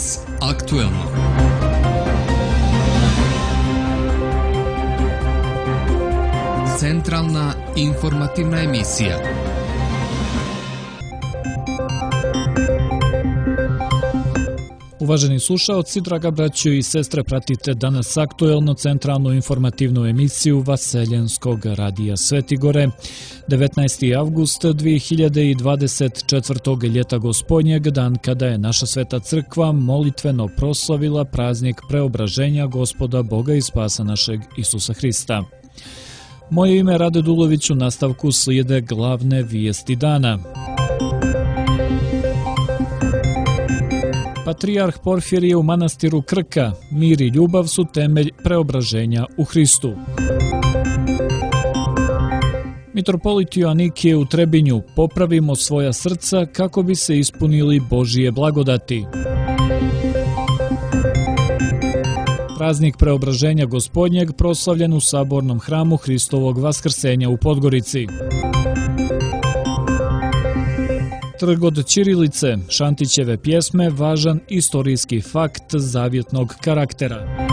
Danas aktuelno. Centralna informativna emisija. Uvaženi slušaoci, draga braćo i sestre, pratite danas aktuelno centralnu informativnu emisiju Vaseljenskog radija Svetigore. 19. avgust 2024. ljeta gospodnjeg, dan kada je naša sveta crkva molitveno proslavila praznik preobraženja Gospoda Boga i spasa našeg Isusa Hrista. Moje ime je Rade Dulović, u nastavku slijede glavne vijesti dana. Patrijarh Porfirije u manastiru Krka, mir i ljubav su temelj preobraženja u Hristu. Mitropolit Joanikije u Trebinju, popravimo svoja srca kako bi se ispunili Božije blagodati. Praznik preobraženja gospodnjeg proslavljen u sabornom hramu Hristovog vaskrsenja u Podgorici. Trg od ćirilice, Šantićeve pjesme, važan istorijski fakt zavjetnog karaktera.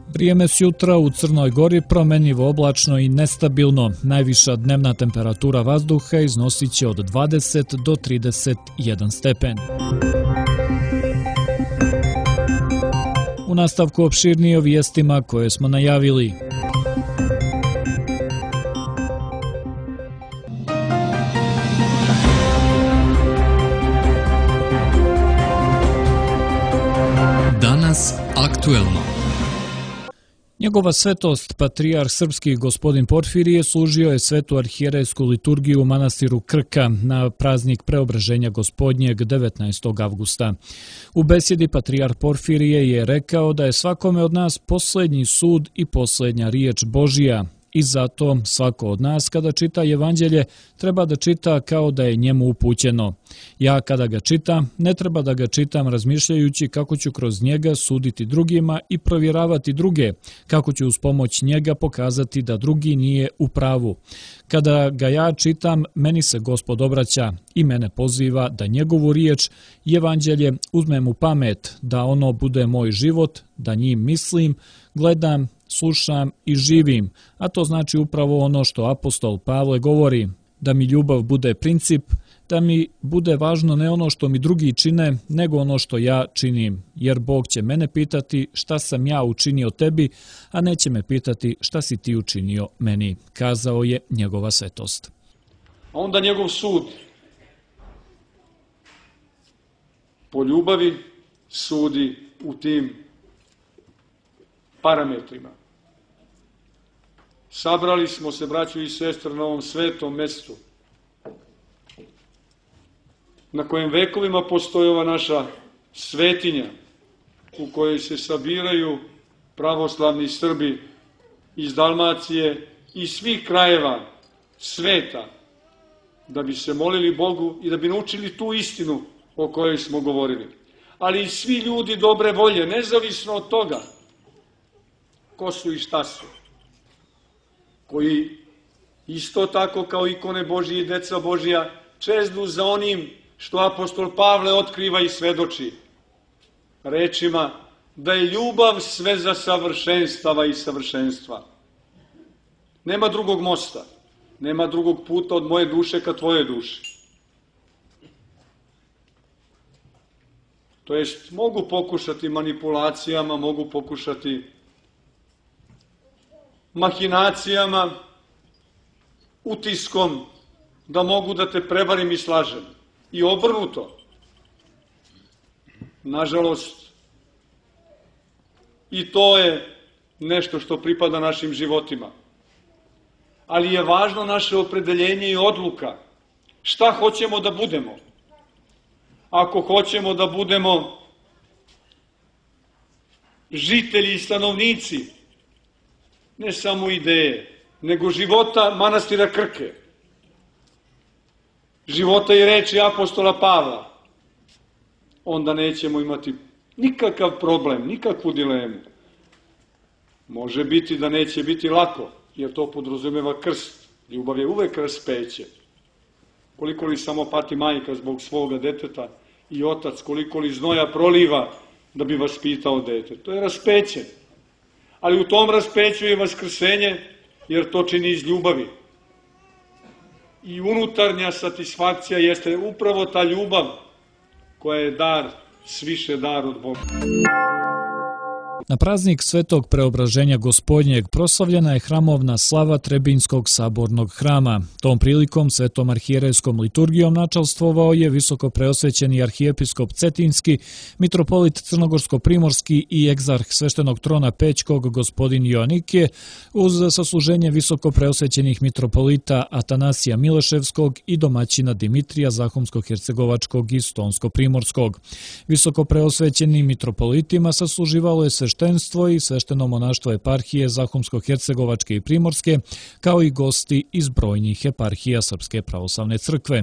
Vrijeme s jutra u Crnoj Gori promenljivo oblačno i nestabilno. Najviša dnevna temperatura vazduha iznosit će od 20 do 31 stepen. U nastavku opširnije o vijestima koje smo najavili. Danas aktuelno. Njegova svetost, patrijarh srpski gospodin Porfirije, služio je svetu arhijerejsku liturgiju u manastiru Krka na praznik preobraženja gospodnjeg 19. avgusta. U besjedi patrijarh Porfirije je rekao da je svakome od nas posljednji sud i posljednja riječ Božija. I zato svako od nas kada čita evanđelje treba da čita kao da je njemu upućeno. Ja kada ga čitam, ne treba da ga čitam razmišljajući kako ću kroz njega suditi drugima i provjeravati druge, kako ću uz pomoć njega pokazati da drugi nije u pravu. Kada ga ja čitam, meni se Gospod obraća i mene poziva da njegovu riječ i evanđelje uzmem u pamet, da ono bude moj život, da njim mislim, gledam, slušam i živim, a to znači upravo ono što apostol Pavle govori, da mi ljubav bude princip, da mi bude važno ne ono što mi drugi čine, nego ono što ja činim, jer Bog će mene pitati šta sam ja učinio tebi, a neće me pitati šta si ti učinio meni, kazao je njegova svetost. A onda njegov sud po ljubavi sudi u tim parametrima. Sabrali smo se, braćo i sestre, na ovom svetom mjestu, na kojem vekovima postoji ova naša svetinja, u kojoj se sabiraju pravoslavni Srbi iz Dalmacije i svih krajeva sveta, da bi se molili Bogu i da bi naučili tu istinu o kojoj smo govorili. Ali i svi ljudi dobre volje, nezavisno od toga ko su i šta su, koji isto tako kao ikone Božije i deca Božija čeznu za onim što apostol Pavle otkriva i svedoči rečima da je ljubav sve za savršenstava i savršenstva. Nema drugog mosta, nema drugog puta od moje duše ka tvoje duši. To jest, mogu pokušati manipulacijama, mogu pokušati mahinacijama, utiskom, da mogu da te prevarim i slažem. I obrnuto. Nažalost, i to je nešto što pripada našim životima. Ali je važno naše opredeljenje i odluka. Šta hoćemo da budemo? Ako hoćemo da budemo žitelji i stanovnici, ne samo ideje, nego života manastira Krke, života i reči apostola Pavla, onda nećemo imati nikakav problem, nikakvu dilemu. Može biti da neće biti lako, jer to podrazumeva krst. Ljubav je uvek raspeće. koliko li samo pati majka zbog svoga deteta i otac, koliko li znoja proliva da bi vaspitao dete. To je raspeće. Ali u tom raspeću je vaskrsenje, jer to čini iz ljubavi. I unutarnja satisfakcija jeste upravo ta ljubav koja je dar, sviše dar od Boga. Na praznik Svetog Preobraženja Gospodnjeg proslavljena je hramovna slava Trebinjskog sabornog hrama. Tom prilikom svetom arhijerejskom liturgijom načalstvovao je visoko preosvećeni arhijepiskop Cetinski, mitropolit Crnogorsko-primorski i egzarh sveštenog trona Pećkog gospodin Joanikije, uz sasluženje visoko preosvećenih mitropolita Atanasija Mileševskog i domaćina Dimitrija Zahumsko-hercegovačkog i Stonsko-primorskog. Visoko preosvećenim mitropolitima sasluživalo je sveštenstvo i svešteno monaštvo eparhije Zahumsko-hercegovačke i Primorske, kao i gosti iz brojnih eparhija Srpske pravoslavne crkve.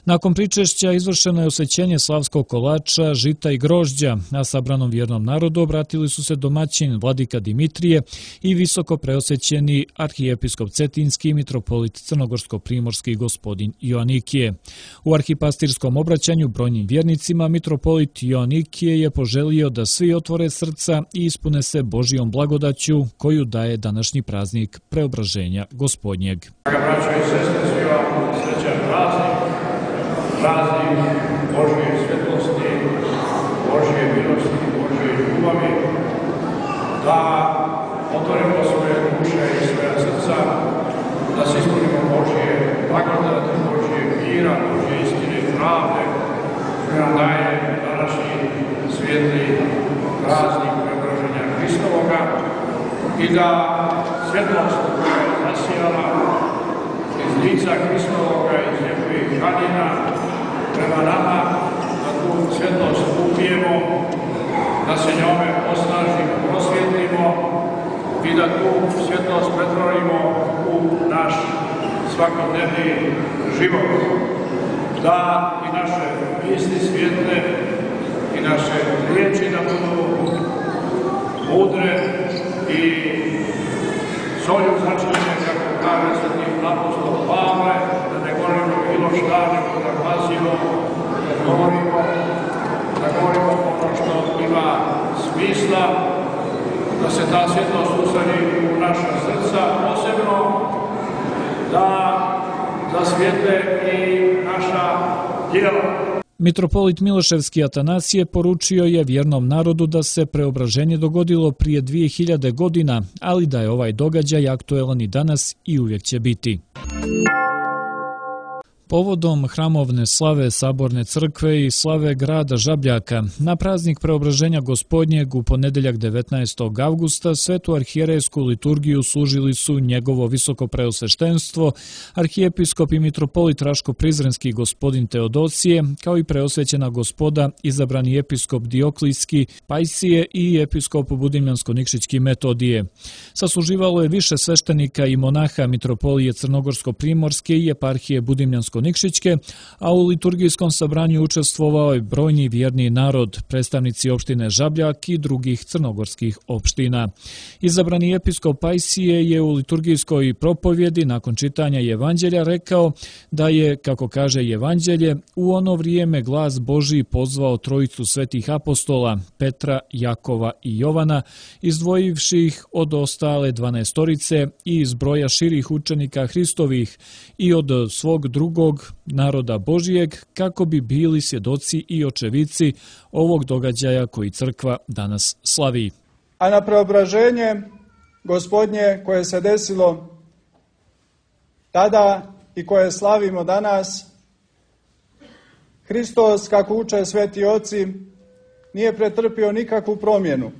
Nakon pričešća izvršeno je osvećenje slavskog kolača, žita i grožđa, a sabranom vjernom narodu obratili su se domaćin vladika Dimitrije i visoko preosvećeni arhijepiskop Cetinski i mitropolit Crnogorsko-primorski gospodin Joanikije. U arhipastirskom obraćanju brojnim vjernicima mitropolit Joanikije je poželio da svi otvore srca i ispune se Božijom blagodaću koju daje današnji praznik Preobraženja Gospodnjeg. Braćo i sestre, svi vam srećan praznik, praznik Božije svjetlosti, Božije milosti, Božije ljubavi, da otvorimo svoje duše i svoja srca, da se ispunimo Božije blagodati, Božije mira, Božije istine i pravde, koja nam daje današnji svijetli praznik Preobraženja Hristovoga i da svjetlost koja je zasijala iz lica Hristovoga, iz njegovih ranina prema nama, da tu svjetlost upijemo, da se njome osnažimo, prosvjetlimo i da tu svjetlost pretvorimo u naš svakodnevni život. Da i naše misli svijetle i naše riječi da budu mudre i solju začinjene, kako kaže sveti apostol Pavle, da ne govorimo bilo šta, nego da pazimo, da govorimo ono što ima smisla, da se ta svjetlost usadi u naša srca, posebno da zasvijetle i naša djela. Mitropolit Miloševski Atanasije poručio je vjernom narodu da se preobraženje dogodilo prije 2000 godina, ali da je ovaj događaj aktuelan i danas i uvijek će biti. Povodom hramovne slave Saborne crkve i slave grada Žabljaka, na praznik Preobraženja Gospodnjeg u ponedeljak 19. avgusta svetu arhijerejsku liturgiju služili su njegovo visoko preosveštenstvo, arhijepiskop i mitropolit Raško-Prizrenski gospodin Teodosije, kao i preosvećena gospoda izabrani episkop Dioklijski Pajsije i episkop Budimljansko-Nikšićki Metodije. Sasluživalo je više sveštenika i monaha mitropolije Crnogorsko-Primorske i eparhije Budimljansko Nikšićke, a u liturgijskom sabranju učestvovao je brojni vjerni narod, predstavnici opštine Žabljak i drugih crnogorskih opština. Izabrani episkop Pajsije je u liturgijskoj propovjedi nakon čitanja Evanđelja rekao da je, kako kaže Evanđelje, u ono vrijeme glas Božji pozvao trojicu svetih apostola, Petra, Jakova i Jovana, izdvojivši ih od ostale 12-torice i iz broja širih učenika Hristovih i od svog drugog naroda Božijeg, kako bi bili svjedoci i očevici ovog događaja koji crkva danas slavi. A na preobraženje Gospodnje koje se desilo tada i koje slavimo danas, Hristos, kako uče sveti oci, nije pretrpio nikakvu promjenu,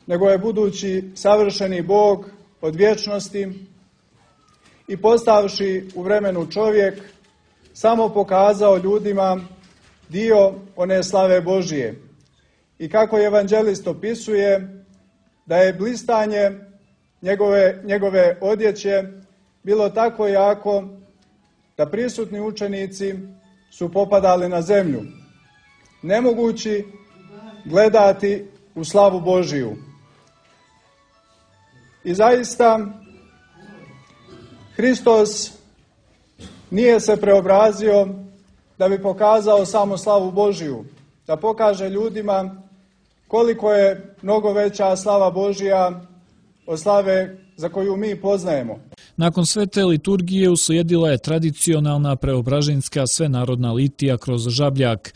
nego je budući savršeni Bog od vječnosti i postavši u vremenu čovjek, samo pokazao ljudima dio one slave Božije. I kako evanđelist opisuje, da je blistanje njegove odjeće bilo tako jako da prisutni učenici su popadali na zemlju, nemogući gledati u slavu Božiju. I zaista Hristos nije se preobrazio da bi pokazao samo slavu Božiju, da pokaže ljudima koliko je mnogo veća slava Božija od slave za koju mi poznajemo. Nakon svete liturgije uslijedila je tradicionalna preobraženjska svenarodna litija kroz Žabljak.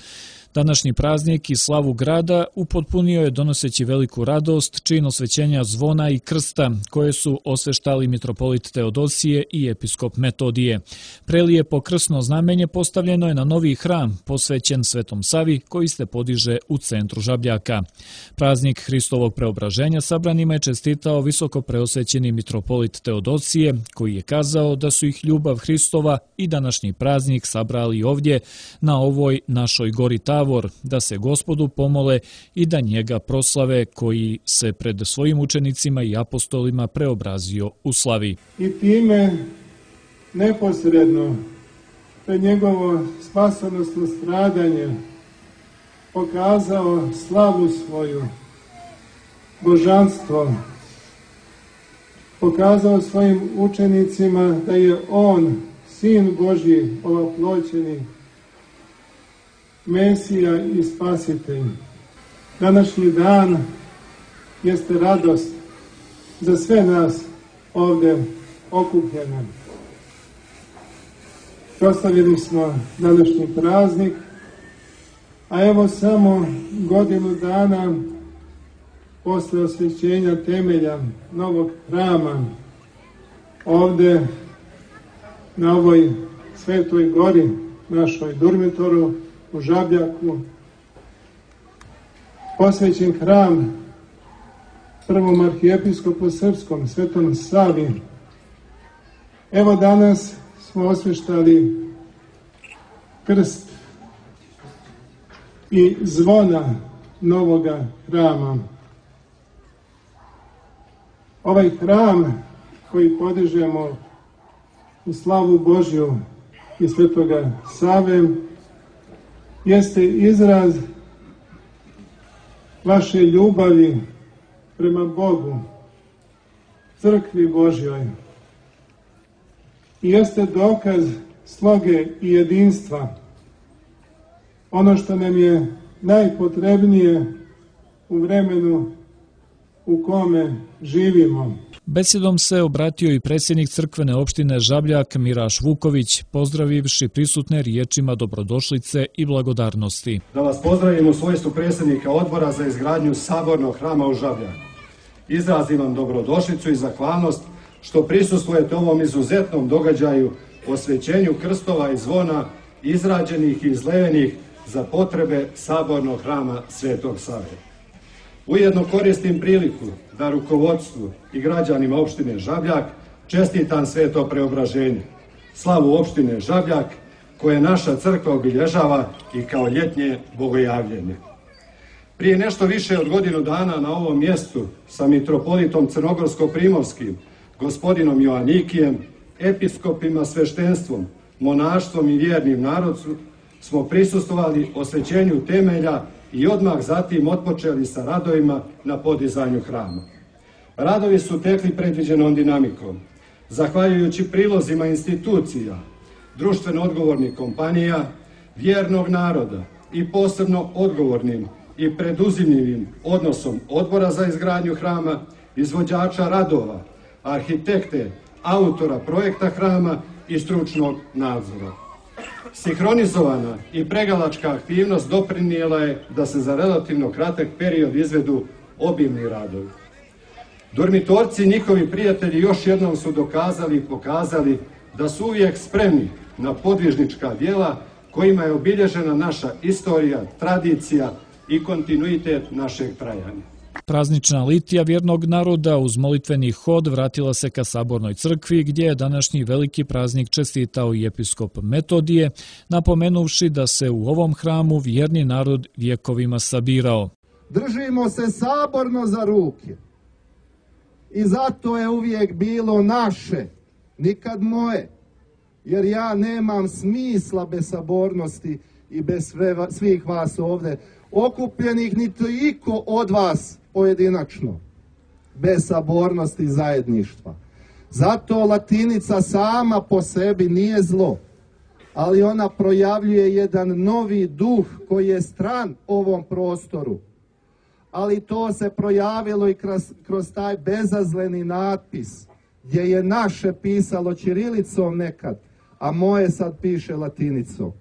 Današnji praznik i slavu grada upotpunio je donoseći veliku radost čin osvećenja zvona i krsta, koje su osveštali mitropolit Teodosije i episkop Metodije. Prelijepo krsno znamenje postavljeno je na novi hram, posvećen Svetom Savi, koji se podiže u centru Žabljaka. Praznik Hristovog preobraženja sabranima je čestitao visoko preosvećeni mitropolit Teodosije, koji je kazao da su ih ljubav Hristova i današnji praznik sabrali ovdje, na ovoj našoj gori Tavor, da se Gospodu pomole i da njega proslave, koji se pred svojim učenicima i apostolima preobrazio u slavi. I time neposredno pred njegovo spasonosno stradanje pokazao slavu svoju, božanstvo, pokazao svojim učenicima da je on, Sin Božji, ovoploćeni, Mesija i Spasitelj. Današnji dan jeste radost za sve nas ovdje okupljene. Proslavili smo današnji praznik, a evo samo godinu dana posle osvećenja temelja novog hrama ovdje na ovoj Svetoj gori, našoj Durmitoru, u Žabljaku, posvećen hram prvom arhijepiskopu srpskom, Svetom Savi. Evo danas smo osveštali krst i zvona novoga hrama. Ovaj hram koji podižemo u slavu Božju i Svetoga Save jeste izraz vaše ljubavi prema Bogu, crkvi Božjoj. I jeste dokaz sloge i jedinstva, ono što nam je najpotrebnije u vremenu u kome živimo. Besedom se obratio i predsjednik crkvene opštine Žabljak Miraš Vuković, pozdravivši prisutne riječima dobrodošlice i blagodarnosti. Da vas pozdravim u svojstvu predsjednika odbora za izgradnju sabornog hrama u Žabljaku. Izrazim vam dobrodošlicu i zahvalnost što prisustvujete ovom izuzetnom događaju, osvećenju krstova i zvona izrađenih i izlevenih za potrebe sabornog hrama Svetog Save. Ujedno koristim priliku da rukovodstvu i građanima opštine Žabljak čestitam sveto preobraženje, slavu opštine Žabljak, koje naša crkva obilježava i kao ljetnje bogojavljenje. Prije nešto više od godinu dana na ovom mjestu sa mitropolitom Crnogorsko-primorskim, gospodinom Joanikijem, episkopima, sveštenstvom, monaštvom i vjernim narodom smo prisustvovali osvećenju temelja i odmah zatim otpočeli sa radovima na podizanju hrama. Radovi su tekli predviđenom dinamikom. Zahvaljujući prilozima institucija, društveno odgovornih kompanija, vjernog naroda i posebno odgovornim i preduzimljivim odnosom odbora za izgradnju hrama, izvođača radova, arhitekte, autora projekta hrama i stručnog nadzora. Sinhronizovana i pregalačka aktivnost doprinijela je da se za relativno kratak period izvedu obimni radovi. Durmitorci i njihovi prijatelji još jednom su dokazali i pokazali da su uvijek spremni na podvižnička djela kojima je obilježena naša istorija, tradicija i kontinuitet našeg trajanja. Praznična litija vjernog naroda uz molitveni hod vratila se ka Sabornoj crkvi, gdje je današnji veliki praznik čestitao i episkop Metodije, napomenuvši da se u ovom hramu vjerni narod vjekovima sabirao. Držimo se saborno za ruke i zato je uvijek bilo naše, nikad moje, jer ja nemam smisla bez sabornosti i bez svih vas ovdje okupljenih, niti iko od vas pojedinačno, bez sabornosti i zajedništva. Zato latinica sama po sebi nije zlo, ali ona projavljuje jedan novi duh koji je stran ovom prostoru. Ali to se projavilo i kroz taj bezazleni natpis, gdje je naše pisalo ćirilicom nekad, a moje sad piše latinicom.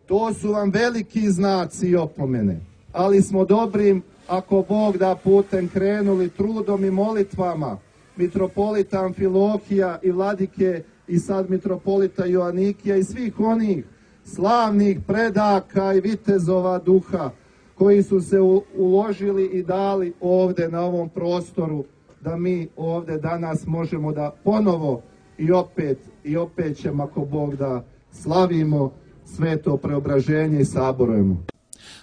To su vam veliki znaci i opomene, ali smo dobrim, ako Bog da, putem krenuli trudom i molitvama mitropolita Amfilohija i vladike i sad mitropolita Joanikija i svih onih slavnih predaka i vitezova duha koji su se uložili i dali ovde na ovom prostoru, da mi ovde danas možemo da ponovo i opet ćemo, ako Bog da, slavimo sveto preobraženje i saborujemo.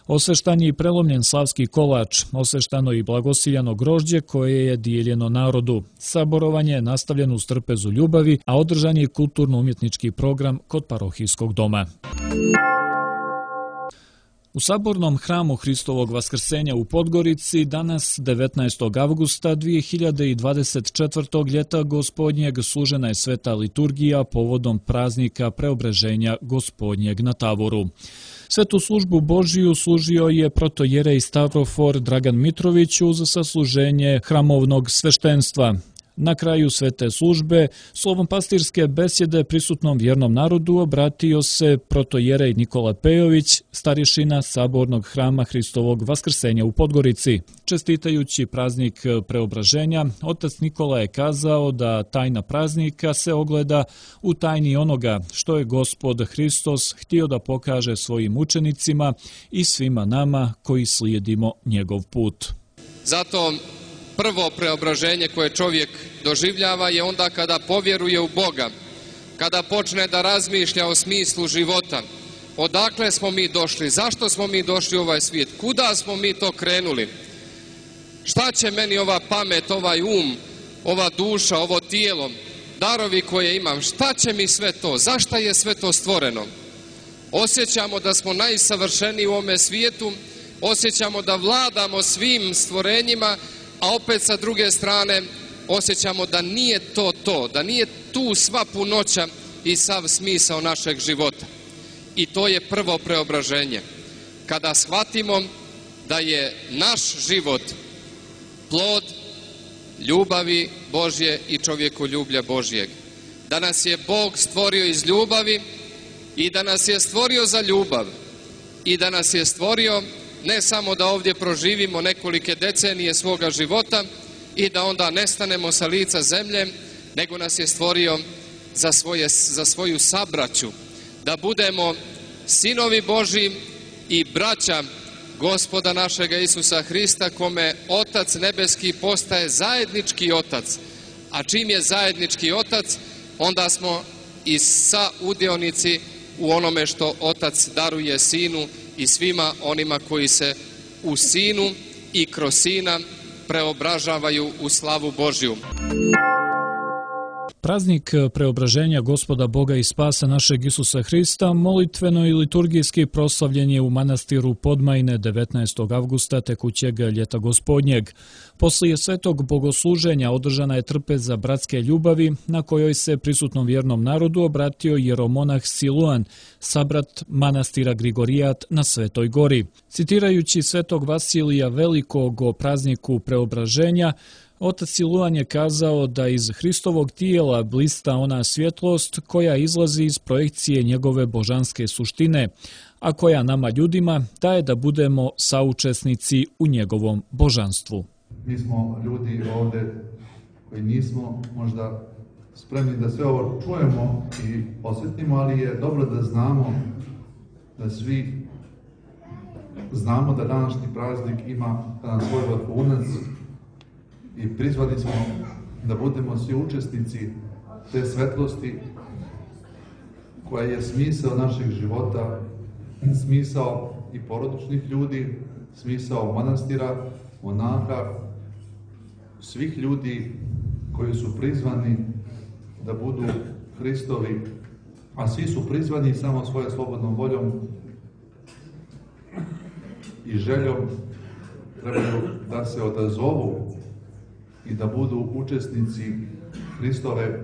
Osveštan je i prelomljen slavski kolač, osveštano i blagosiljano grožđe koje je dijeljeno narodu. Saborovanje je nastavljeno uz trpezu ljubavi, a održan je kulturno-umjetnički program kod parohijskog doma. U Sabornom hramu Hristovog Vaskrsenja u Podgorici danas 19. avgusta 2024. ljeta Gospodnjeg služena je sveta liturgija povodom praznika Preobraženja Gospodnjeg na Tavoru. Svetu službu Božiju služio je protojerej Stavrofor Dragan Mitrović uz sasluženje hramovnog sveštenstva. Na kraju svete službe, slovom pastirske besjede prisutnom vjernom narodu obratio se protojerej Nikola Pejović, starješina Sabornog hrama Hristovog Vaskrsenja u Podgorici. Čestitajući praznik Preobraženja, otac Nikola je kazao da tajna praznika se ogleda u tajni onoga što je Gospod Hristos htio da pokaže svojim učenicima i svima nama koji slijedimo njegov put. Zato prvo preobraženje koje čovjek doživljava je onda kada povjeruje u Boga, kada počne da razmišlja o smislu života. Odakle smo mi došli? Zašto smo mi došli u ovaj svijet? Kuda smo mi to krenuli? Šta će meni ova pamet, ovaj ova duša, ovo tijelo, darovi koje imam? Šta će mi sve to? Zašto je sve to stvoreno? Osjećamo da smo najsavršeniji u ovome svijetu, osjećamo da vladamo svim stvorenjima, a opet sa druge strane osjećamo da nije to, da nije tu sva punoća i sav smisao našeg života. I to je prvo preobraženje. Kada shvatimo da je naš život plod ljubavi Božje i čovjekoljublja Božjeg. Da nas je Bog stvorio iz ljubavi i da nas je stvorio za ljubav. I da nas je stvorio ne samo da ovdje proživimo nekolike decenije svoga života i da onda nestanemo sa lica zemlje, nego nas je stvorio za svoju sabraću, da budemo sinovi Božji i braća Gospoda našega Isusa Hrista, kome Otac nebeski postaje zajednički Otac. A čim je zajednički Otac, onda smo i saudjelnici u onome što Otac daruje Sinu i svima onima koji se u Sinu i kroz Sina preobražavaju u slavu Božju. Praznik Preobraženja Gospoda Boga i Spasa našeg Isusa Hrista molitveno i liturgijski proslavljen je u manastiru Podmajne 19. avgusta tekućeg ljeta Gospodnjeg. Poslije svetog bogosluženja održana je trpeza bratske ljubavi na kojoj se prisutnom vjernom narodu obratio jeromonah Siluan, sabrat manastira Grigorijat na Svetoj gori. Citirajući svetog Vasilija Velikog o prazniku Preobraženja, otac Siluan je kazao da iz Hristovog tijela blista ona svjetlost koja izlazi iz projekcije njegove božanske suštine, a koja nama ljudima daje da budemo saučesnici u njegovom božanstvu. Mi smo ljudi ovdje koji nismo možda spremni da sve ovo čujemo i osjetimo, ali je dobro da znamo, da svi znamo da današnji praznik ima svoj vrhunac i prizvani smo da budemo svi učesnici te svetlosti koja je smisao našeg života, smisao i porodičnih ljudi, smisao manastira, monaha, svih ljudi koji su prizvani da budu Hristovi, a svi su prizvani samo svojom slobodnom voljom i željom trebaju da se odazovu i da budu učesnici Hristove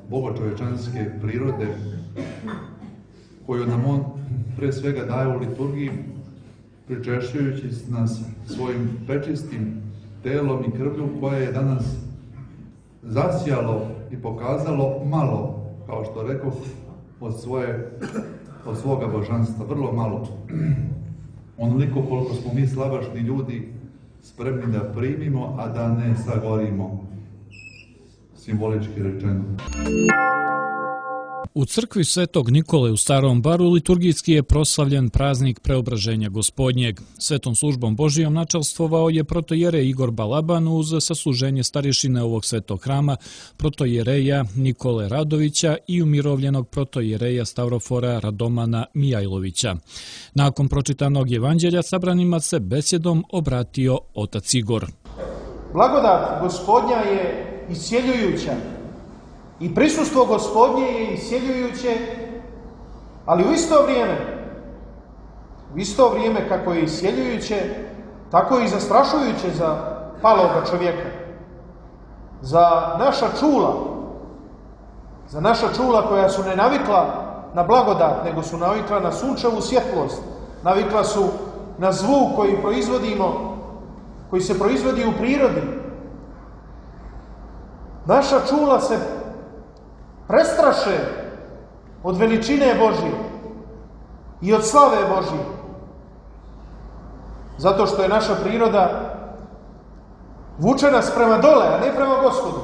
bogočovečanske prirode koju nam on pre svega daje u liturgiji, pričešćujući nas svojim prečistim telom i krvlju koje je danas zasijalo i pokazalo malo, kao što rekoh, od svoga božanstva, vrlo malo. Onoliko koliko smo mi slabašni ljudi spremni da primimo, a da ne sagorimo, simbolički rečeno. U crkvi Svetog Nikole u Starom Baru liturgijski je proslavljen praznik Preobraženja Gospodnjeg. Svetom službom Božijom načelstvovao je protojerej Igor Balaban uz sasluženje starješine ovog svetog hrama, protojereja Nikole Radovića i umirovljenog protojereja Stavrofora Radomana Mijajlovića. Nakon pročitanog evanđelja sabranima se besjedom obratio otac Igor. Blagodat Gospodnja je iscjeljujuća. I prisustvo Gospodnje je iscjeljujuće, ali u isto vrijeme kako je iscjeljujuće, tako je i zastrašujuće za paloga čovjeka. Za naša čula koja su ne navikla na blagodat, nego su navikla na sunčevu svjetlost, navikla su na zvuk koji se proizvodi u prirodi. Naša čula se prestraše od veličine Božje i od slave Božje. Zato što je naša priroda vuče nas prema dole, a ne prema Gospodu.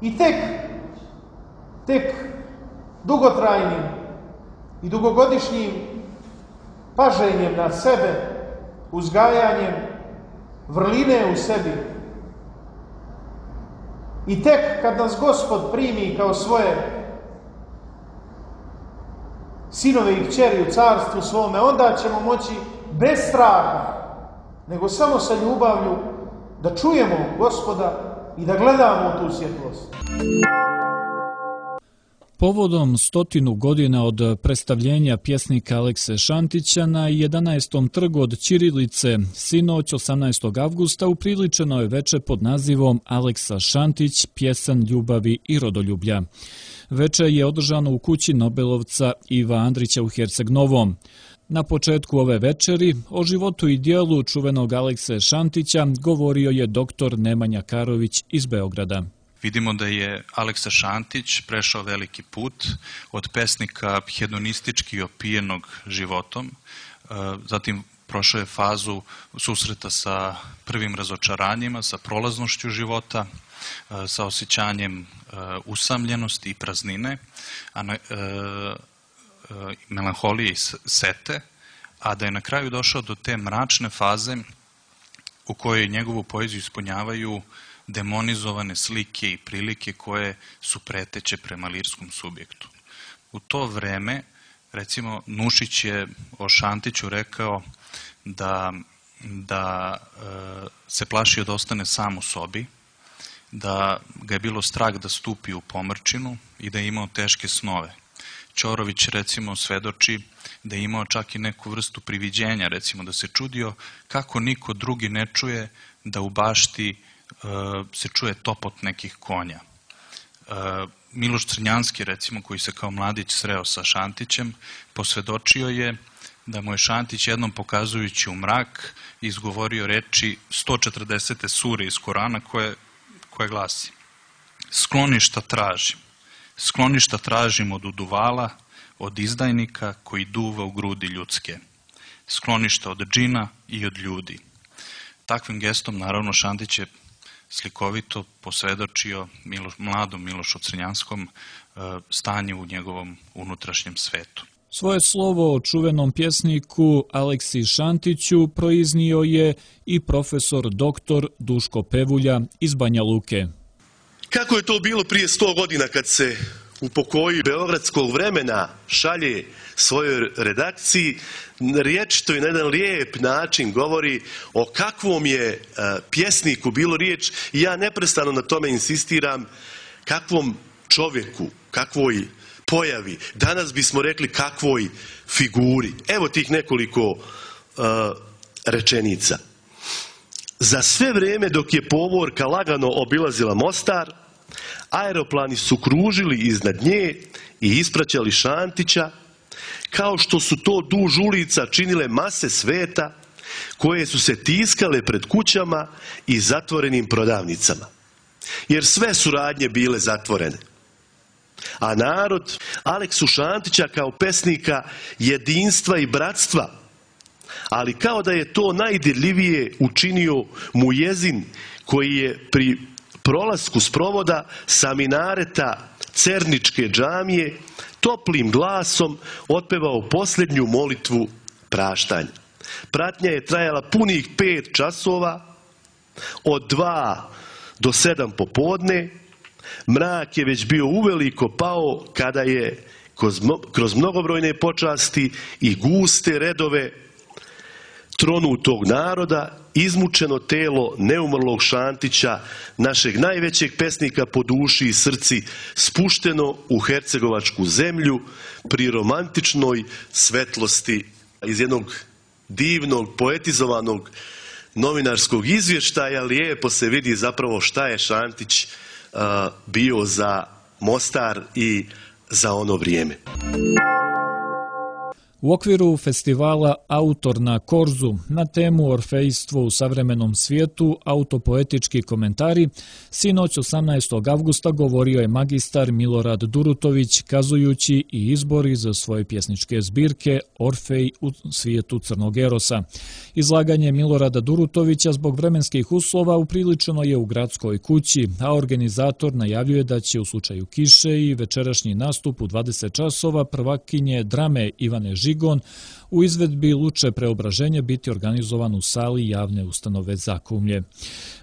I tek dugotrajnim i dugogodišnjim paženjem na sebe, uzgajanjem vrline u sebi, i tek kad nas Gospod primi kao svoje sinove i kćeri u carstvu svome, onda ćemo moći bez straha, nego samo sa ljubavlju da čujemo Gospoda i da gledamo u tu svjetlost. Povodom 100 godina od predstavljenja pjesnika Alekse Šantića na 11. trgu od Ćirilice, sinoć 18. avgusta upriličeno je veče pod nazivom Aleksa Šantić, pjesan ljubavi i rodoljublja. Veče je održano u kući nobelovca Iva Andrića u Herceg Novom. Na početku ove večeri o životu i dijelu čuvenog Alekse Šantića govorio je doktor Nemanja Karović iz Beograda. Vidimo da je Aleksa Šantić prešao veliki put od pesnika hedonistički opijenog životom, zatim prošao je fazu susreta sa prvim razočaranjima, sa prolaznošću života, sa osjećanjem usamljenosti i praznine, melanholije i sete, a da je na kraju došao do te mračne faze u kojoj njegovu poeziju ispunjavaju demonizovane slike i prilike koje su preteće prema lirskom subjektu. U to vreme, recimo, Nušić je o Šantiću rekao da se plašio da ostane sam u sobi, da ga je bilo strah da stupi u pomrčinu i da je imao teške snove. Ćorović, recimo, svedoči da je imao čak i neku vrstu priviđenja, recimo, da se čudio kako niko drugi ne čuje da u bašti se čuje topot nekih konja. Miloš Crnjanski, recimo, koji se kao mladić sreo sa Šantićem, posvedočio je da mu je Šantić jednom pokazujući u mrak izgovorio reči 140. sure iz Korana koje glasi: skloništa tražim od uduvala, od izdajnika koji duva u grudi ljudske, skloništa od džina i od ljudi. Takvim gestom, naravno, Šantić je slikovito posvedočio mladom Milošu Crnjanskom stanje u njegovom unutrašnjem svetu. Svoje slovo o čuvenom pjesniku Aleksi Šantiću proiznio je i profesor doktor Duško Pevulja iz Banja Luke. Kako je to bilo prije 100 godina kad se u pokoju beogradskog vremena šalje svojoj redakciji, rječito i na jedan lijep način govori o kakvom je pjesniku bilo riječ, i ja neprestano na tome insistiram, kakvom čovjeku, kakvoj pojavi, danas bismo rekli kakvoj figuri. Evo tih nekoliko rečenica. Za sve vrijeme dok je povorka lagano obilazila Mostar, aeroplani su kružili iznad nje i ispraćali Šantića, kao što su to duž ulica činile mase sveta koje su se tiskale pred kućama i zatvorenim prodavnicama. Jer sve su radnje bile zatvorene. A narod Aleksu Šantića kao pesnika jedinstva i bratstva, ali kao da je to najdirljivije učinio Mujezin koji je pri prolasku sprovoda sa minareta Cerničke džamije toplim glasom otpevao posljednju molitvu praštanja. Pratnja je trajala punih 5 časova, od 2 do 7 popodne. Mrak je već bio uveliko pao kada je kroz mnogobrojne počasti i guste redove tronutog naroda izmučeno telo neumrlog Šantića, našeg najvećeg pesnika po duši i srci, spušteno u hercegovačku zemlju pri romantičnoj svetlosti. Iz jednog divnog, poetizovanog novinarskog izvještaja lijepo se vidi zapravo šta je Šantić bio za Mostar i za ono vrijeme. U okviru festivala Autor na Korzu na temu Orfejstvo u savremenom svijetu, autopoetički komentari, sinoć 18. avgusta govorio je magistar Milorad Durutović kazujući i izbor iz svoje pjesničke zbirke Orfej u svijetu Crnog Erosa. Izlaganje Milorada Durutovića zbog vremenskih uslova upriličeno je u gradskoj kući, a organizator najavljuje da će u slučaju kiše i večerašnji nastup u 20 časova prvakinje drame Ivane Žigon u izvedbi Luče preobraženje biti organizovan u sali javne ustanove Zakumlje.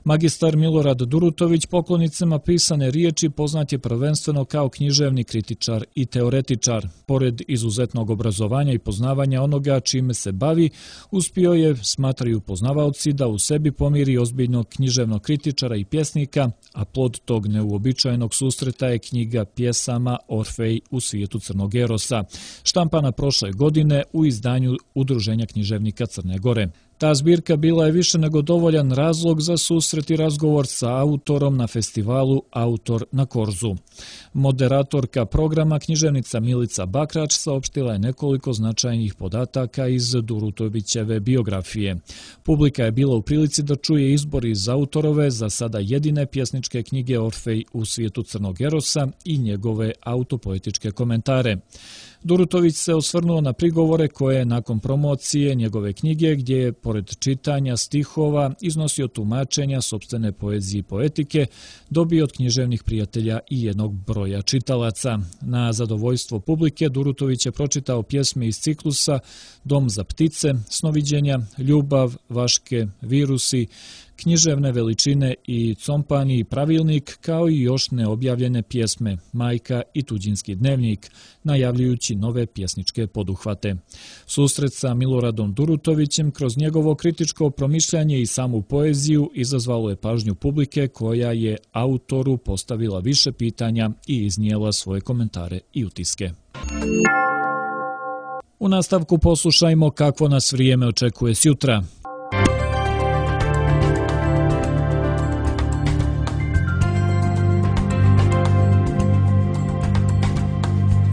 Magistar Milorad Durutović poklonicima pisane riječi poznat je prvenstveno kao književni kritičar i teoretičar. Pored izuzetnog obrazovanja i poznavanja onoga čime se bavi, uspio je, smatraju poznavaoci, da u sebi pomiri ozbiljnog književnog kritičara i pjesnika, a plod tog neuobičajenog susreta je knjiga pjesama Orfej u svijetu Crnog Erosa, štampana prošle godine u izdanju Udruženja književnika Crne Gore. Ta zbirka bila je više nego dovoljan razlog za susret i razgovor sa autorom na festivalu Autor na Korzu. Moderatorka programa, književnica Milica Bakrač, saopštila je nekoliko značajnih podataka iz Durutovićeve biografije. Publika je bila u prilici da čuje izbor iz autorove za sada jedine pjesničke knjige Orfej u svijetu Crnog Erosa i njegove autopoetičke komentare. Durutović se osvrnuo na prigovore koje je nakon promocije njegove knjige, gdje je pored čitanja stihova iznosio tumačenja sopstvene poezije i poetike, dobio od književnih prijatelja i jednog broja čitalaca. Na zadovoljstvo publike Durutović je pročitao pjesme iz ciklusa Dom za ptice, Snoviđenja, Ljubav, Vaške, Virusi, Književne veličine i Compani i Pravilnik, kao i još neobjavljene pjesme Majka i Tuđinski dnevnik, najavljujući nove pjesničke poduhvate. Susret sa Miloradom Durutovićem kroz njegovo kritičko promišljanje i samu poeziju izazvalo je pažnju publike koja je autoru postavila više pitanja i iznijela svoje komentare i utiske. U nastavku poslušajmo kakvo nas vrijeme očekuje sjutra.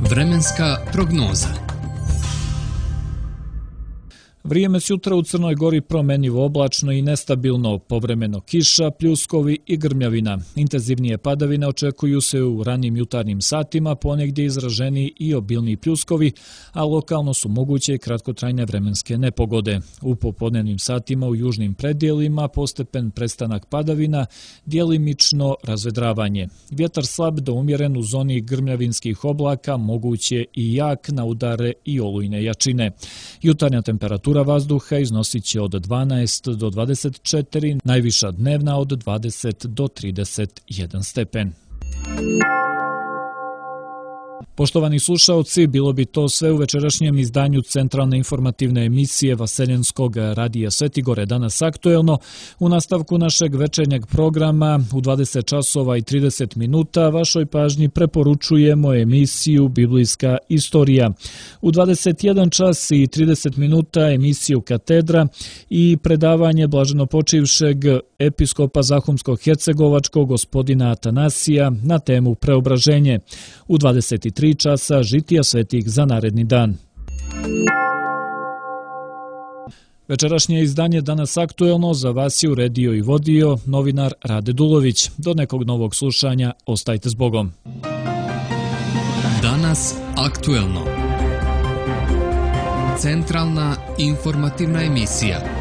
Vremenska prognoza. Vrijeme sutra u Crnoj Gori promjenjivo oblačno i nestabilno, povremeno kiša, pljuskovi i grmljavina. Intenzivnije padavine očekuju se u ranim jutarnjim satima, ponegdje izraženi i obilni pljuskovi, a lokalno su moguće i kratkotrajne vremenske nepogode. U popodnevnim satima u južnim predjelima postepen prestanak padavina, djelimično razvedravanje. Vjetar slab do umjeren u zoni grmljavinskih oblaka, moguće i jak na udare i olujne jačine. Jutarnja temperatura vazduha iznosit će od 12 do 24, najviša dnevna od 20 do 31 stepen. Poštovani slušaoci, bilo bi to sve u večerašnjem izdanju centralne informativne emisije Vaseljenskog radija Svetigore, danas aktuelno. U nastavku našeg večernjeg programa u 20 časova i 30 minuta vašoj pažnji preporučujemo emisiju Biblijska istorija. U 21 čas i 30 minuta emisiju Katedra i predavanje blaženopočivšeg episkopa Zahumsko-Hercegovačkog gospodina Atanasija na temu Preobraženje. U 23 časa žitija svetih za naredni dan. Večerašnje izdanje Danas aktuelno za vas je uredio i vodio novinar Rade Dulović. Do nekog novog slušanja, ostajte s Bogom. Danas aktuelno. Centralna informativna emisija.